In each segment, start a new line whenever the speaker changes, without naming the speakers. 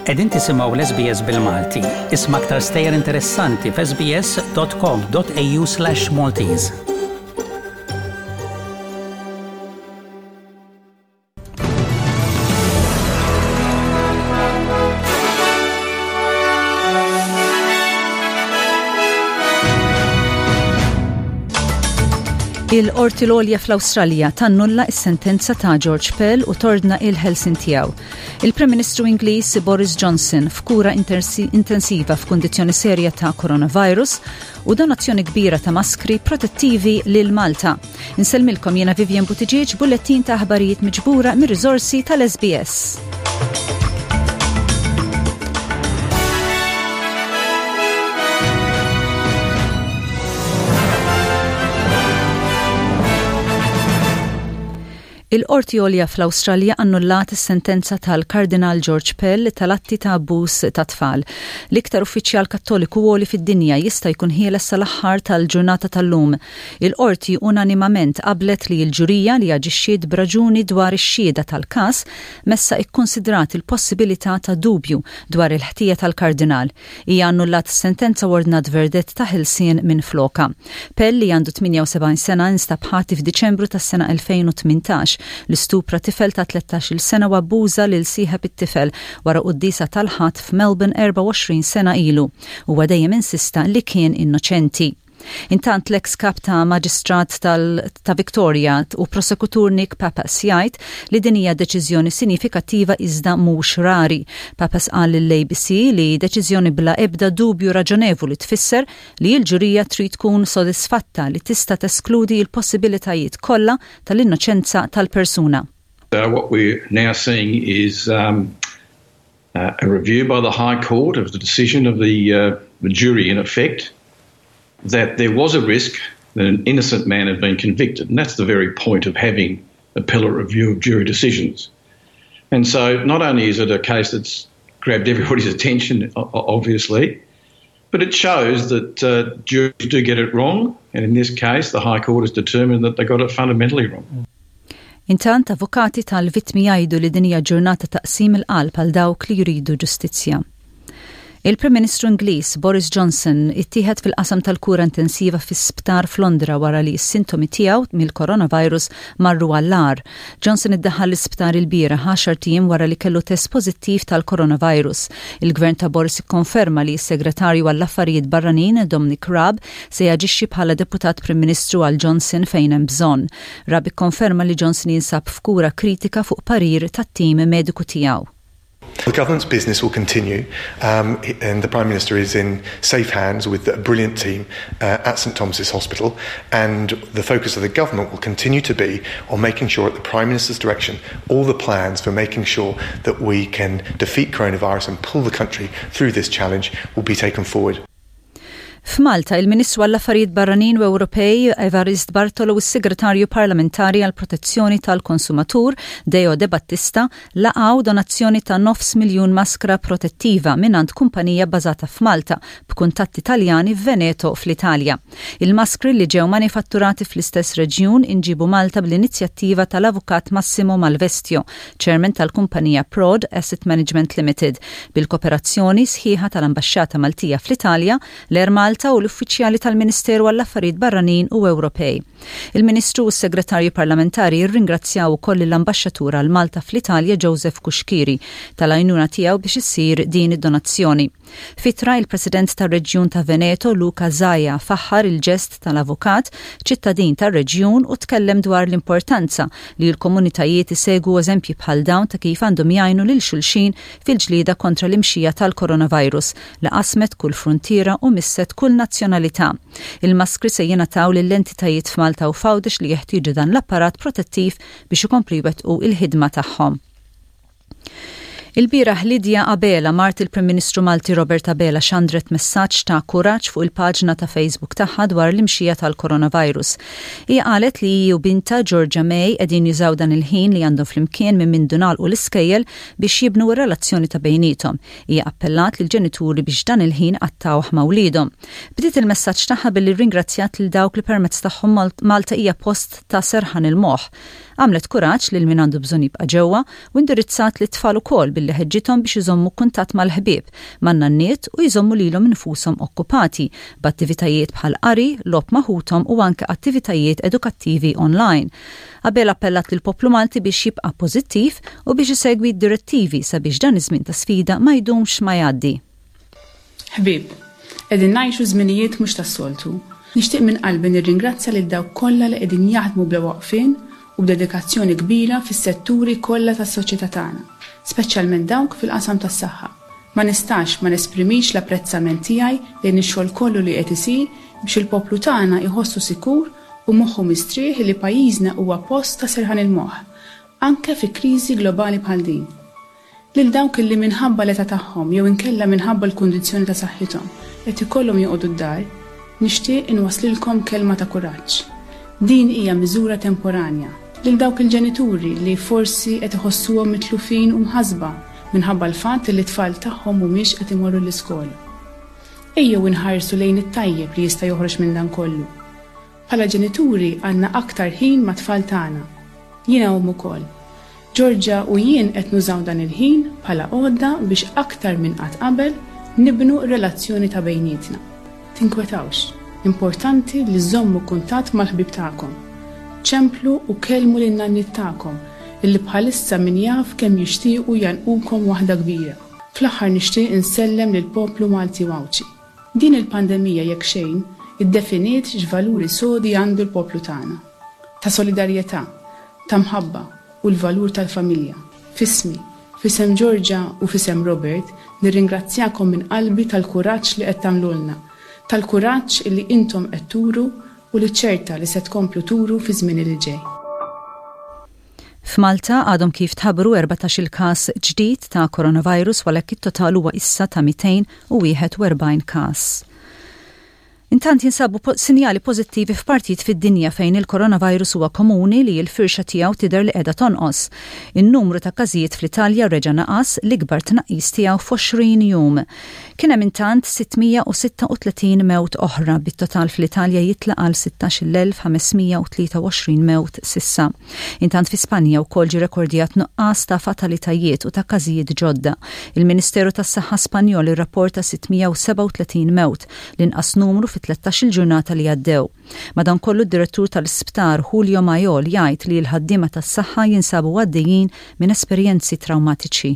Qegħdin tisimgħu l-SBS bil-Malti. Isma' aktar stejjer interessanti f'sbs.com.au/Maltese.
Il-Qorti l-Għolja fl-Awstralja tannulla s-sentenza ta' George Pell u tordna il-ħelsin tiegħu. Il-Prim Ministru Ingliż Boris Johnson f'kura intensiva f'kundizzjoni serja ta' coronavirus u donazzjoni kbira ta' maskri protettivi lil Malta. Insellmilkom jiena Vivian Buttigieg bullettin ta' aħbarijiet miġbura mir-riżorsi tal-SBS. Il-Qorti Għolja fl-Awstralja annullat is-sentenza tal-Kardinal George Pell tal-atti ta' abbuż ta' tfal. L-iktar uffiċjal Kattoliku għoli fid-dinja jista' jkun ħieles sal-aħħar tal-ġurnata tal-lum. Il-Qorti unanimament qablet li l-ġurija li aġixxiet b'raġuni dwar ix-xhieda tal-każ messha ikkunsidrat il-possibilità ta' dubju dwar il-ħtija tal-Kardinal. Hija annullat is-sentenza u ordnat verdett ta' ħelsien minflokha. Pell li għandu 78 sena instab ħati f'Diċembru tas-sena 2018 li stupra tifel ta' 13-il sena u abbuża lil sieħeb it-tifel wara quddiesa tal-Ħadd f'Melbourne 24 sena ilu. Huwa dejjem insista li kien innoċenti. Intant l-eks kap ta' Maġistrat ta' Victoria u prosekutur Nick Papas jgħid li din hija deċiżjoni sinifikattiva iżda mhux rari. Papas qal lill-ABC li deċiżjoni bla ebda dubju raġonevoli tfisser li l-ġurija trid tkun sodisfatta li tista' teskludi l-possibilitajiet kollha tal-innoċenza tal-persuna.
What we're now seeing is um, uh, a review by the High Court of the decision of the, uh, the jury in effect that there was a risk that an innocent man had been convicted. And that's the very point of having appellate review of jury decisions. And so not only is it a case that's grabbed everybody's attention, obviously, but it shows that uh, juries do get it wrong. And in this case, the High Court has determined that they got it fundamentally wrong.
Intant, avukati tal-vittmi jgħidu li din hija ġurnata ta' qsim il-qalb għal dawk li jridu ġustizzja. Il-Prim Ministru Ingliż Boris Johnson ittieħed fil-qasam tal-kura intensiva fi sptar f'Londra wara li s-sintomi tiegħu mill-coronavirus marru għall-agħar. Johnson iddaħħal l-isptar ilbieraħ għaxart ijiem wara li kellu test pożittiv tal-coronavirus. Il-Gvern ta' Boris ikkonferma li s-Segretarju għall-Affarijiet Barranin Dominic Raab se jaġixxi bħala Deputat Prim Ministru għal Johnson fejn hemm bżonn. Raab ikkonferma li Johnson jinsab f'kura kritika fuq parir tat-tim mediku tiegħu.
The government's business will continue um, and the Prime Minister is in safe hands with a brilliant team uh, at St Thomas's Hospital and the focus of the government will continue to be on making sure at the Prime Minister's direction all the plans for making sure that we can defeat coronavirus and pull the country through this challenge will be taken forward.
F'Malta, il-Ministru għall-Affarijiet Barranin u Ewropej Evarist Bartolo u s-Segretarju Parlamentari għall-Protezzjoni tal-Konsumatur Deo De Battista laqgħu donazzjoni ta' nofs miljun maskra protettiva mingħand kumpanija bbażata f'Malta b'kuntatti Taljani f'Veneto fl-Italja. Il-maskri li ġew manifatturati fl-istess reġjun inġiebu Malta bl-inizjattiva tal-Avukat Massimo Malvestio, Chairman tal-kumpanija Prod Asset Management Limited, bil-koperazzjoni sħiħa tal-Ambaxxata Maltija fl-Italja, l-Air Malta u l-uffiċjali tal-Ministeru għall-Affarijiet Barranin u Ewropej. Il-Ministru u s-Segretarju Parlamentari rringrazzjaw ukoll lill-Ambaxxatur għal Malta fl-Italja Joseph Cuschieri tal-għajnuna tiegħu biex issir din id-donazzjoni. F'ittra, il-President tar-Reġjun ta' Veneto, Luca Zaia, faħħar il-ġest tal-avukat, ċittadin tar-reġjun u tkellem dwar l-importanza li l-komunitajiet isegwu eżempji bħal dawn ta' kif għandhom jgħinu lil xulxin fil-ġlieda kontra l-imxija tal-coronavirus li qasmet kull fruntiera u misset kull nazzjonalità. Il-maskri se jingħataw lill-entitajiet f'Malta u f'Għawdex li jeħtieġu dan l-apparat protettiv biex ikomplu jwettqu l-ħidma tagħhom. Ilbieraħ Lydia Abela, mart il-Prim Ministru Malti Robert Abela xandret messaġġ ta' kuraġġ fuq il-paġna ta' Facebook tagħha dwar l-imxija tal-coronavirus. Hija qalet li hi u bintha Georgia May qegħdin jużaw dan il-ħin li għandhom flimkien minn mindu ngħalqu l-iskejjel biex jibnu r-relazzjoni ta' bejniethom. Hija appellat lill-ġenituri biex dan il-ħin qattgħuh ma' wliedhom. Bdiet il-messaġġ tagħha billi rringrazzjat lil dawk li permezz tagħhom Malta hija post ta' serħan il-moħħ. Għamlet kuraġġ lil min għandu bżonn jibqa' ġewwa u indirizzat lit-tfal ukoll billi ħeġġithom biex iżommu kuntatt mal-ħbieb, man-nanniet u jżommu lilhom infushom okkupati b'attivitajiet bħal qari, logħob ma' ħuthom u anke attivitajiet edukattivi online. Abela appellat lill-poplu Malti biex jibqa' pożittiv u biex isegwi d-direttivi sabiex dan iż-żmien ta' sfida ma jdumx ma jgħaddi.
Ħbieb, qegħdin ngħixu żminijiet mhux tas-soltu. Nixtieq minn qalbi nirringrazzja lil dawk kollha li qegħdin jaħdmu bla waqfien u b'dedikazzjoni kbira fis-setturi kollha tas-soċjetà tagħna, speċjalment dawk fil-qasam tas-saħħa. Ma nistax ma nesprimix l-apprezzament tiegħi lejn ix-xogħol kollu li qed isir biex il-poplu tagħna jħossu sikur u moħħu mistrieħ li pajjiżna huwa post ta' serħan il-moħħ, anke fi kriżi globali bħal din. Lil dawk li minħabba l-età tagħhom jew inkella minħabba l-kundizzjoni ta' saħħithom qed ikollhom joqogħdu d-dar, nixtieq inwasslilkom kelma ta' kuraġġ. Din hija miżura temporanja. Lil dawk il-ġenituri li forsi qed iħossuhom mitlufin u mħassba minħabba l-fatt li t-tfal tagħhom mhumiex qed imorru l-iskola. Ejjew inħarsu lejn it-tajjeb li jista' joħroġ minn dan kollu. Bħala ġenituri għandna aktar ħin mat-tfal tagħna. Jiena omm ukoll. Georgia u jien qed nużaw dan il-ħin bħala għodda biex aktar minn qatt qabel nibnu r-relazzjoni ta' bejnietna. Tinkwetawx. Importanti li żżommu kuntatt mal-ħbieb tagħkom. Ċemplu u kellmu lin-nanniet tagħkom illi bħalissa min jaf kemm jixtiequ jgħannqukom waħda kbira. Fl-aħħar nixtieq insellem lill-poplu Malti u Għawdxi. Din il-pandemija jekk xejn, iddefiniet x'valuri sodi għandu l-poplu tagħna. Ta' solidarjetà, ta' mħabba u l-valur tal-familja. F'ismi, f'isem Georgia u f'isem Robert nirringrazzjakom minn qalbi tal-kuraġġ li qed tagħmlulna, tal-kuraġġ illi intom qed turu u li ċerta li se tkomplu turu fiż-żmien li ġej.
F'Malta għadhom kif tħabbru 14-il każ ġdid ta' coronavirus u għalhekk it-total huwa issa ta' 241 każ. Intant jinsabu sinjali pożittivi f'partijiet fid-dinja fejn il-coronavirus huwa komuni li l-firxa tiegħu tidher li qiegħda tonqos. In-numru ta' każijiet fl-Italja reġa' naqas, l-ikbar tnaqqis tiegħu f'20 jum. Kien hemm intant 636 mewt oħra, bit-total fl-Italja jitla' għal 16,523 mewt s'issa. Intant fi Spanja wkoll ġie rekordjat nuqqas ta' fatalitajiet u ta' każijiet ġodda. Il-Ministeru tas-Saħħa Spanjol irrapporta 637 mewt, l-inqas numru fi tlettax-il ġurnata li għaddew. Madankollu d-Direttur tal-Isptar Julio Mayol jgħid li l-ħaddiema tas-saħħa jinsabu għaddejjin minn esperjenzi trawmatiċi.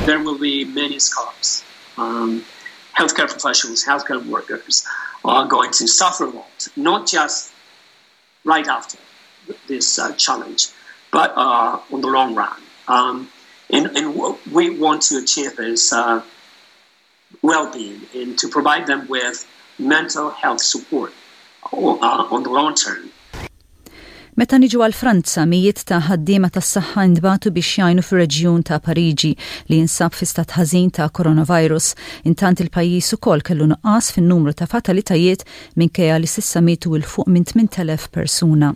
There will be many scars. Um, healthcare professionals, healthcare workers are going to suffer a lot, not just right after this uh, challenge, but uh, on the long run. Um, and, and what we want to achieve is uh, well-being and to provide them with mental health support uh, on the long term.
Meta niġu għal Franza, mijiet ta' ħaddiema tas-saħħa ntbagħtu biex jgħinu fir-reġjun ta' Pariġi li jinsab fi stat ħażin ta' coronavirus. Intant il-pajjiż ukoll kellu nuqqas fin-numru ta' fatalitajiet minkejja li s'issa mietu 'l fuq minn 8,000 persuna.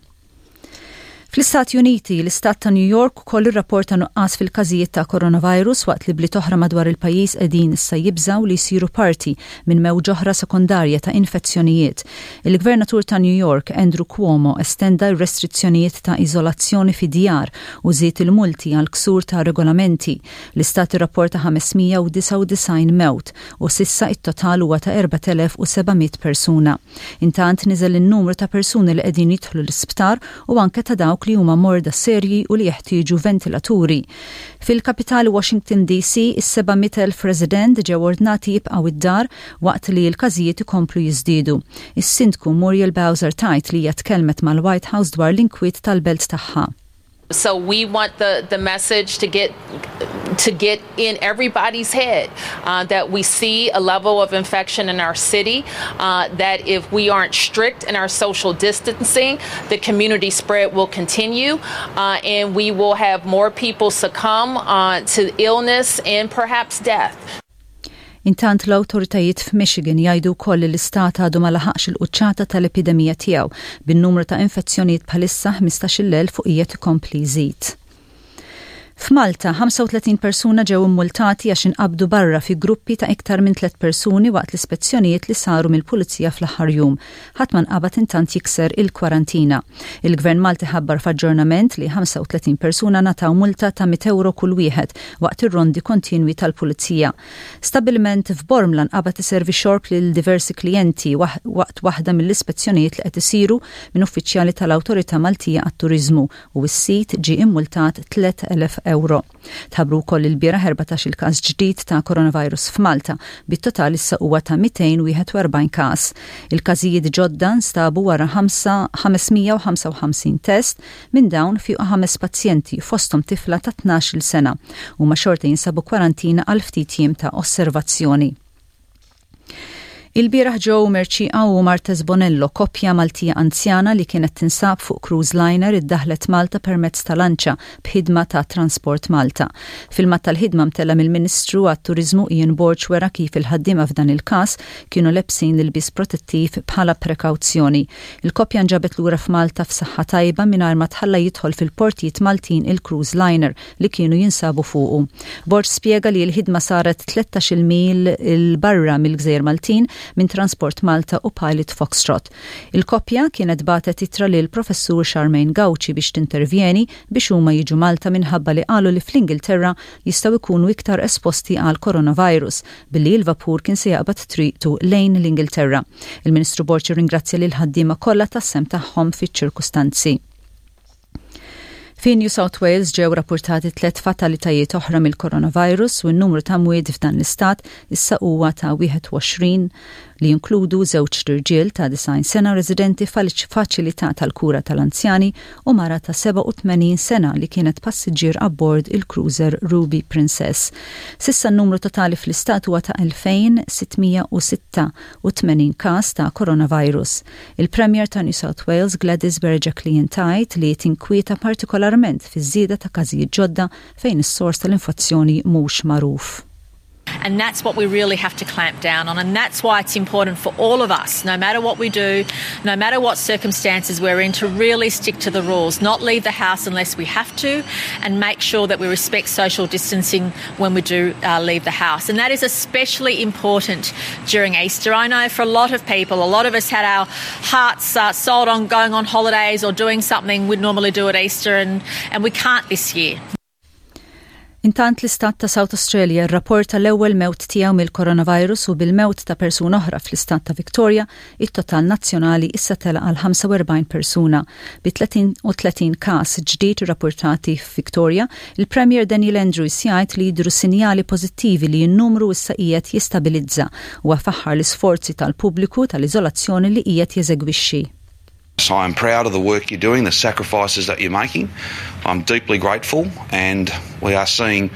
Fl-Istati Uniti, l-Istat ta' New York ukoll irrapporta nuqqas fil-każijiet ta' coronavirus waqt li bliet oħra madwar il-pajjiż qegħdin issa jibżgħu li jsiru parti minn mewġa oħra sekondarja ta' infezzjonijiet. Il-Gvernatur ta' New York, Andrew Cuomo, estenda r-restrizzjonijiet ta' iżolazzjoni fid-djar u żied il-multi għal ksur ta' regolamenti. L-istat irrapporta 599 mewt u s'issa it-total huwa ta' 4,700 persuna. Intant niżel in-numru ta' persuni li qegħdin jidħlu l-isptar u anke ta' dawk li huma morda serji u li jeħtieġu ventilaturi. Fil-kapitali Washington DC, is-700,000 resident ġew ordnati jibqgħu id-dar waqt li l-każijiet ikomplu jiżdiedu. Is-Sindku Muriel Bowser tgħid li hija tkellmet mal-White House dwar l-inkwiet tal-belt tagħha.
So we want the, the message to get to get in everybody's head uh, that we see a level of infection in our city, uh, that if we aren't strict in our social distancing, the community spread will continue uh, and we will have more people succumb uh, to illness and perhaps death.
Intant l-awtoritajiet f'Michigan jgħidu wkoll li l-istat għadu ma laħaqx il-quċċata tal-epidemija tiegħu, bin-numru ta' infezzjonijiet bħalissa 15,000 fuq qiegħed ikompli jżid. F'Malta, 35 persuna ġew immultati għax inqabdu barra fi gruppi ta' iktar minn tlett persuni waqt l-ispezzjonijiet li saru mill-Pulizija fl-aħħar jum. Ħadd ma nqabad intant jikser il-kwarantina. Il-Gvern Malti ħabbar f'aġġornament li 35 persuna ngħataw multa ta' mitt ewro kull wieħed waqt ir-rondi kontinwi tal-Pulizija. Stabbiliment f'Bormla nqabad iservi xorb lil diversi klijenti waqt waħda mill-ispezzjonijiet li qed isiru minn uffiċjali tal-Awtorità Maltija għat-Turiżmu u s-sid ġie immultat 3,000 ewro. Tħabbru wkoll ilbieraħ 14-il każ ġdid ta' coronavirus f'Malta, bit-total issa huwa ta' 241 każ. Il-każijiet ġodda nstabu wara 555 test, minn dawn fiequ ħames pazjenti, fosthom tifla ta' 12-il sena. Huma xorta jinsabu kwarantina għal ftit jiem ta' osservazzjoni. Ilbieraħ Joe Mercieca u Martes Bonello, koppja Maltija anzjana li kienet tinsab fuq cruise liner iddaħħlet Malta permezz ta' lanċa b'ħidma ta' Transport Malta. Filmat tal-ħidma mtella' mill-Ministru għat-Turiżmu Ian Borg wera kif il-ħaddiema f'dan il-każ kienu lebsin l-ilbies protettiv bħala prekawzjoni. Il-koppja nġabet lura f'Malta f'saħħa tajba mingħajr ma tħalla jidħol fil-portijiet Maltin il-cruise liner li kienu jinsabu fuqu. Borg spjega li l-ħidma saret 13-il mil 'il barra mill-Gżejjer Maltin minn Transport Malta u Pilot Foxtrot. Il-koppja kienet bagħtet ittra lil Professur Charmaine Gauci biex tintervjeni biex huma jiġu Malta minħabba li qalu li fl-Ingilterra jistgħu jkunu iktar esposti għall-coronavirus billi l-vapur kien se jaqbad triqtu lejn l-Ingilterra. Il-Ministru Borg irringrazzja lill-ħaddiema kollha tas-sehem tagħhom fiċ-ċirkustanzi. Fi New South Wales ġew rappurtati tliet fatalitajiet oħra mill-coronavirus u n-numru ta' mwiet f'dan l-istat issa huwa ta' 21 li jinkludu żewġ irġiel ta' 90 sena residenti f'faċilità tal-kura tal-anzjani u mara ta' 87 sena li kienet passiġġier abbord il-cruiser Ruby Princess. S'issa n-numru totali fl-istat huwa ta' 2686 każ ta' coronavirus. Il-Premier ta' New South Wales Gladys Berejiklian tgħid li tinkwieta partikolarment fiż-żieda ta' każijiet ġodda fejn is-sors tal-infezzjoni mhux magħruf.
And that's what we really have to clamp down on and that's why it's important for all of us, no matter what we do, no matter what circumstances we're in, to really stick to the rules, not leave the house unless we have to and make sure that we respect social distancing when we do uh, leave the house. And that is especially important during Easter. I know for a lot of people, a lot of us had our hearts uh, sold on going on holidays or doing something we'd normally do at Easter, and, and we can't this year.
Intant l-istat ta' South Australia rrapporta l-ewwel mewt tiegħu mill-coronavirus u bil-mewt ta' persuna oħra fl-istat ta' Victoria, it-total nazzjonali issa tela' għal 45 persuna. Bi 33 każ ġdid irrappurtati f'Victoria, il-Premier Daniel Andrews jgħid li jidhru sinjali pożittivi li n-numru issa qiegħed jistabilizza. Huwa faħħar l-isforzi tal-pubbliku tal-iżolazzjoni li qiegħed jeżegwixxi.
So I'm proud of the work you're doing, the sacrifices that you're making. I'm deeply grateful and we are seeing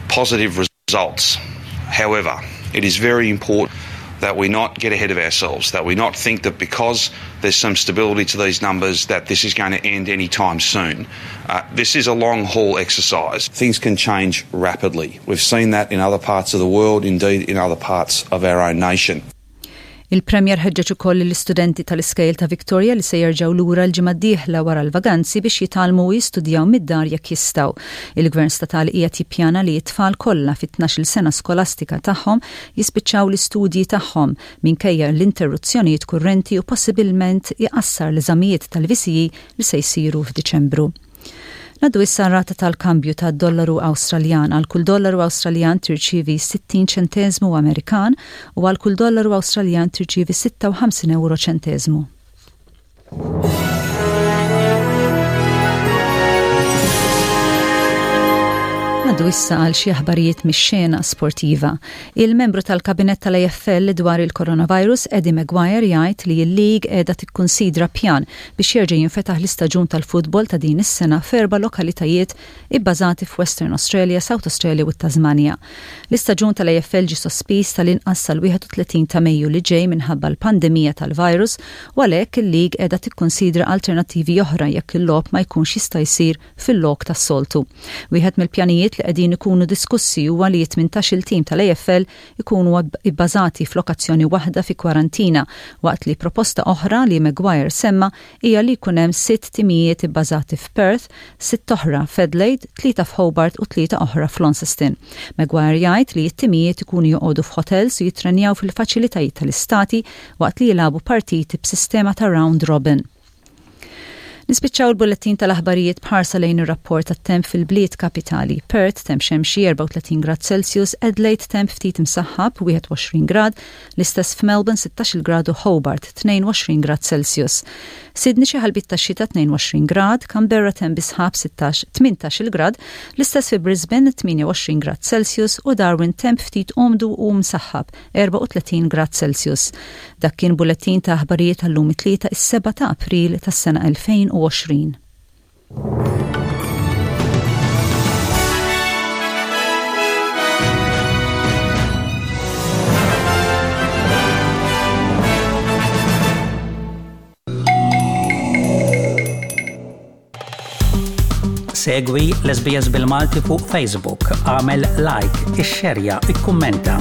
positive results. However, it is very important that we not get ahead of ourselves, that we not think that because there's some stability to these numbers that this is going to end anytime soon. Uh, this is a long haul exercise. Things can change rapidly. We've seen that in other parts of the world, indeed in other parts of our own nation.
Il-Premier ħeġġeġ ukoll lill-istudenti tal-iskejjel ta' Victoria li se jerġgħu lura l-ġimgħa d-dieħla wara l-vaganzi biex jitgħallmu u jistudjaw mid-dar jekk jistgħu. Il-Gvern Statali qiegħed jippjana li t-tfal kollha fit-tnax-il sena skolastika tagħhom jispiċċaw l-istudji tagħhom minkejja l-interruzzjonijiet kurrenti u possibilment iqassar l-eżamijiet tal-VCE li se jsiru f'Diċembru. Ngħaddu issa r-rata tal-kambju tad-dollaru Awstraljan. Għal kull dollaru Awstraljan tirċievi 60 ċenteżmu Amerikan u għal kull dollaru Awstraljan tirċievi 56 ewro ċenteżmu. Ngħaddu issa għal xi aħbarijiet mix-xena sportiva. Il-membru tal-Kabinett tal-AFL dwar il-coronavirus Eddie McGuire jgħid li l-league qiegħda tikkunsidra pjan biex jerġa' jinfetaħ l-istaġun tal-futbol ta' din is-sena f'erba' lokalitajiet ibbażati f'Western Australia, South Australia u t-Tasmanja. L-istaġun tal-AFL ġie sospiż tal-inqas sal-31 ta' Mejju li ġej minħabba l-pandemija tal-virus u għalhekk il-league qiegħda tikkunsidra alternattivi oħra jekk il-logħob ma jkunx jista' jsir fil-lok tas-soltu. Wieħed mill-pjanijiet li li qegħdin ikunu diskussi huwa li t-18-il tim tal-AFL ikunu ibbażati f'lokazzjoni waħda fi kwarantina waqt li proposta oħra li Maguire semma hija li jkun hemm sitt timijiet ibbażati f'Perth, sitt oħra f'Adelaide, tlieta f'Hobart u tlieta oħra f'Launceston. Maguire jgħid li t-timijiet ikunu joqogħdu f'ħotels u jittrenjaw fil-faċilitajiet tal-istati waqt li jilagħbu partiti b'sistema ta' round robin. Nispiċċaw il-bullettin tal-aħbarijiet b'ħarsa lejn ir-rapport tat-temp fil-bliet kapitali. Perth temp xemxi 34 grad Celsius, Adelaide temp ftit imsaħħab 21 grad, l-istess f'Melbourne 16 grad u Hobart 22 grad Celsius. Sydney xi ħalbiet ta' xita 22 grad, Canberra temp bi sħab 16 18 grad, l-istess fi Brisbane 28 grad Celsius u Darwin temp ftit umdu u msaħħab 34 grad Celsius. Dak kien bullettin ta' aħbarijiet għal-lum it-Tlieta is-7 ta' April tas-sena 2020.
Segwi l-SBS bil-Malti fuq Facebook, għamel like, ixxerja, ikkummenta.